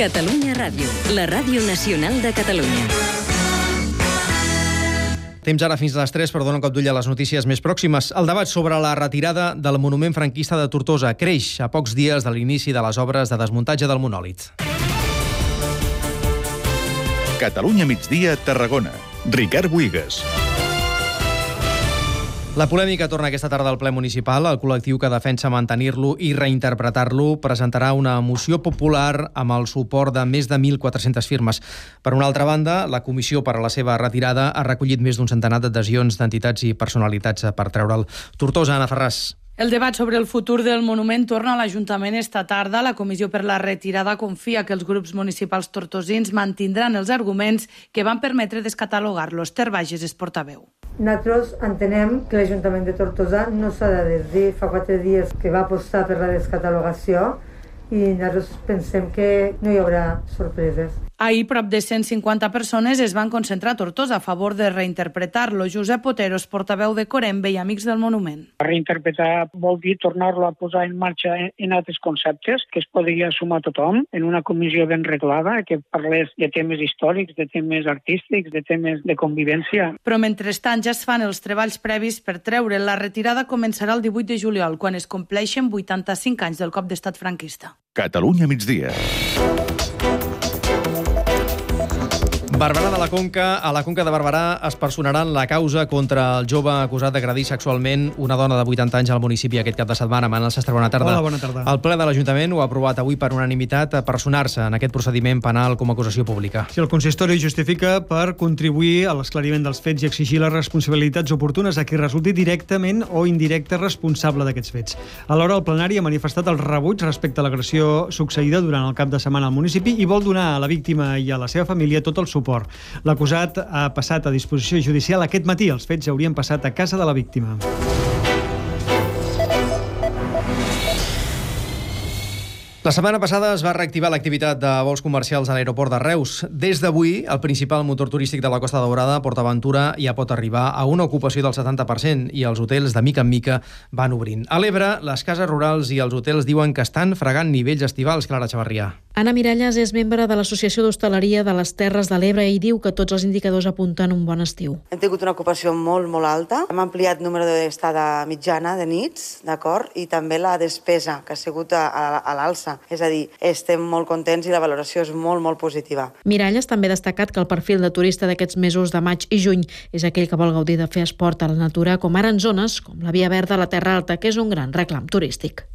Catalunya Ràdio, la ràdio nacional de Catalunya. Temps ara fins a les 3 per donar un cop d'ull a les notícies més pròximes. El debat sobre la retirada del monument franquista de Tortosa creix a pocs dies de l'inici de les obres de desmuntatge del monòlit. Catalunya migdia, Tarragona. Ricard Buigas. La polèmica torna aquesta tarda al ple municipal. El col·lectiu que defensa mantenir-lo i reinterpretar-lo presentarà una moció popular amb el suport de més de 1.400 firmes. Per una altra banda, la comissió per a la seva retirada ha recollit més d'un centenar d'adhesions d'entitats i personalitats per treure'l. Tortosa, Anna Ferràs. El debat sobre el futur del monument torna a l'Ajuntament esta tarda. La Comissió per la Retirada confia que els grups municipals tortosins mantindran els arguments que van permetre descatalogar-lo. Esther Bages és portaveu. Nosaltres entenem que l'Ajuntament de Tortosa no s'ha de desdir. Fa 4 dies que va apostar per la descatalogació i nosaltres pensem que no hi haurà sorpreses. Ahir, prop de 150 persones es van concentrar a Tortosa a favor de reinterpretar-lo. Josep Oteros, portaveu de Corembe i Amics del Monument. Reinterpretar vol dir tornar-lo a posar en marxa en altres conceptes que es podria sumar tothom en una comissió ben reglada que parlés de temes històrics, de temes artístics, de temes de convivència. Però mentrestant ja es fan els treballs previs per treure. La retirada començarà el 18 de juliol, quan es compleixen 85 anys del cop d'estat franquista. Catalunya migdia. Barberà de la Conca. A la Conca de Barberà es personaran la causa contra el jove acusat d'agredir sexualment una dona de 80 anys al municipi aquest cap de setmana. Manel Sastre, bona tarda. Hola, bona tarda. El ple de l'Ajuntament ho ha aprovat avui per unanimitat a personar-se en aquest procediment penal com a acusació pública. Si el consistori justifica per contribuir a l'esclariment dels fets i exigir les responsabilitats oportunes a qui resulti directament o indirecte responsable d'aquests fets. Alhora, el plenari ha manifestat el rebuig respecte a l'agressió succeïda durant el cap de setmana al municipi i vol donar a la víctima i a la seva família tot el suport. L'acusat ha passat a disposició judicial aquest matí. Els fets haurien passat a casa de la víctima. La setmana passada es va reactivar l'activitat de vols comercials a l'aeroport de Reus. Des d'avui, el principal motor turístic de la Costa Daurada, PortAventura, ja pot arribar a una ocupació del 70% i els hotels, de mica en mica, van obrint. A l'Ebre, les cases rurals i els hotels diuen que estan fregant nivells estivals. Clara Chavarrià. Anna Miralles és membre de l'Associació d'Hostaleria de les Terres de l'Ebre i diu que tots els indicadors apunten un bon estiu. Hem tingut una ocupació molt alta. Hem ampliat el número d'estada mitjana de nits, d'acord? I també la despesa, que ha sigut a l'alça. És a dir, estem molt contents i la valoració és molt positiva. Miralles també ha destacat que el perfil de turista d'aquests mesos de maig i juny és aquell que vol gaudir de fer esport a la natura, com ara en zones com la Via Verda, la Terra Alta, que és un gran reclam turístic.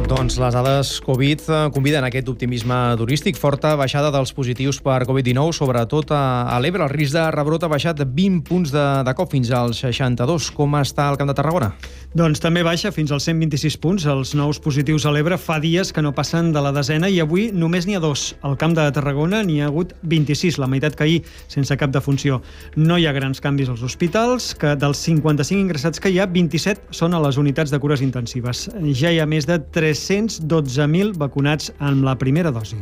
Doncs les dades Covid conviden a aquest optimisme turístic. Forta baixada dels positius per Covid-19, sobretot a l'Ebre. El risc de rebrot ha baixat 20 punts de cop fins als 62. Com està el Camp de Tarragona? Doncs també baixa fins als 126 punts. Els nous positius a l'Ebre fa dies que no passen de la desena i avui només n'hi ha 2. Al Camp de Tarragona n'hi ha hagut 26, la meitat que ahir, sense cap defunció. No hi ha grans canvis als hospitals, que dels 55 ingressats que hi ha, 27 són a les unitats de cures intensives. Ja hi ha més de 312.000 vacunats amb la primera dosi.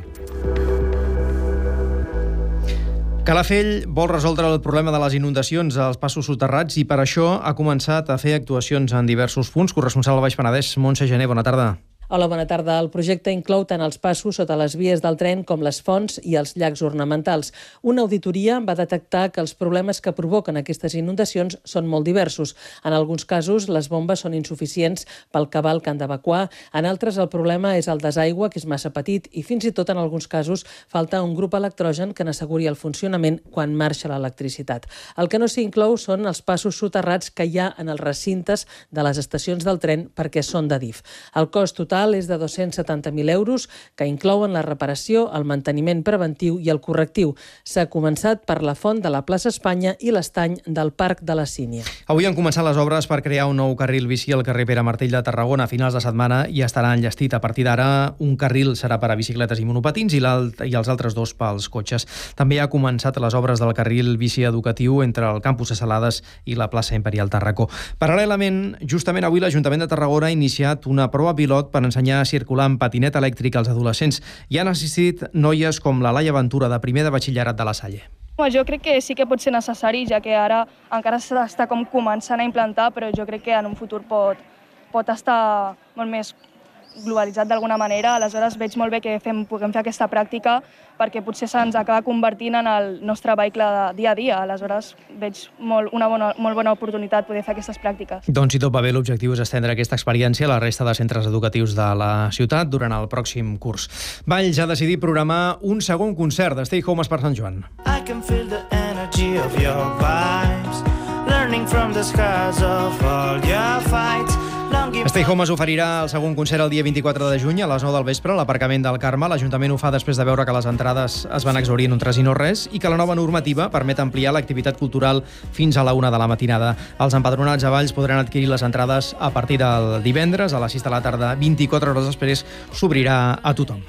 Calafell vol resoldre el problema de les inundacions als passos soterrats i per això ha començat a fer actuacions en diversos punts. Corresponsal al Baix Penedès, Montse Gené, bona tarda. Hola, bona tarda. El projecte inclou tant els passos sota les vies del tren com les fonts i els llacs ornamentals. Una auditoria va detectar que els problemes que provoquen aquestes inundacions són molt diversos. En alguns casos, les bombes són insuficients pel cabal que han d'evacuar. En altres, el problema és el desaigua, que és massa petit, i fins i tot, en alguns casos, falta un grup electrogen que n'asseguri el funcionament quan marxa l'electricitat. El que no s'inclou són els passos soterrats que hi ha en els recintes de les estacions del tren perquè són d'Adif. El cost total és de 270.000 euros, que inclouen la reparació, el manteniment preventiu i el correctiu. S'ha començat per la font de la plaça Espanya i l'estany del Parc de la Sínia. Avui han començat les obres per crear un nou carril bici al carrer Pere Martell de Tarragona. A finals de setmana ja estarà enllestit. A partir d'ara, un carril serà per a bicicletes i monopatins i els altres 2 pels cotxes. També ha començat les obres del carril bici educatiu entre el campus de Salades i la plaça Imperial Tarracó. Paral·lelament, justament avui l'Ajuntament de Tarragona ha iniciat una prova pilot per ensenyar a circular amb patinet elèctric als adolescents. Hi han assistit noies com la Laia Ventura, de primer de batxillerat de la Salle. Jo crec que sí que pot ser necessari, ja que ara encara s'està començant a implantar, però jo crec que en un futur pot estar molt més globalitzat d'alguna manera, aleshores veig molt bé que puguem fer aquesta pràctica perquè potser se'ns acaba convertint en el nostre vehicle de dia a dia. Aleshores veig una molt bona oportunitat poder fer aquestes pràctiques. Doncs si tot va bé, l'objectiu és estendre aquesta experiència a la resta de centres educatius de la ciutat durant el pròxim curs. Valls ha decidit programar un segon concert de Stay Home per Sant Joan. I can feel the energy of your vibes, learning from the scars of all your fights. Stay Home oferirà el segon concert el dia 24 de juny a les 9 del vespre a l'aparcament del Carme. L'Ajuntament ho fa després de veure que les entrades es van exhaurir en un tres i no res i que la nova normativa permet ampliar l'activitat cultural fins a la 1 de la matinada. Els empadronats a Valls podran adquirir les entrades a partir del divendres a les 6 de la tarda. 24 hores després s'obrirà a tothom.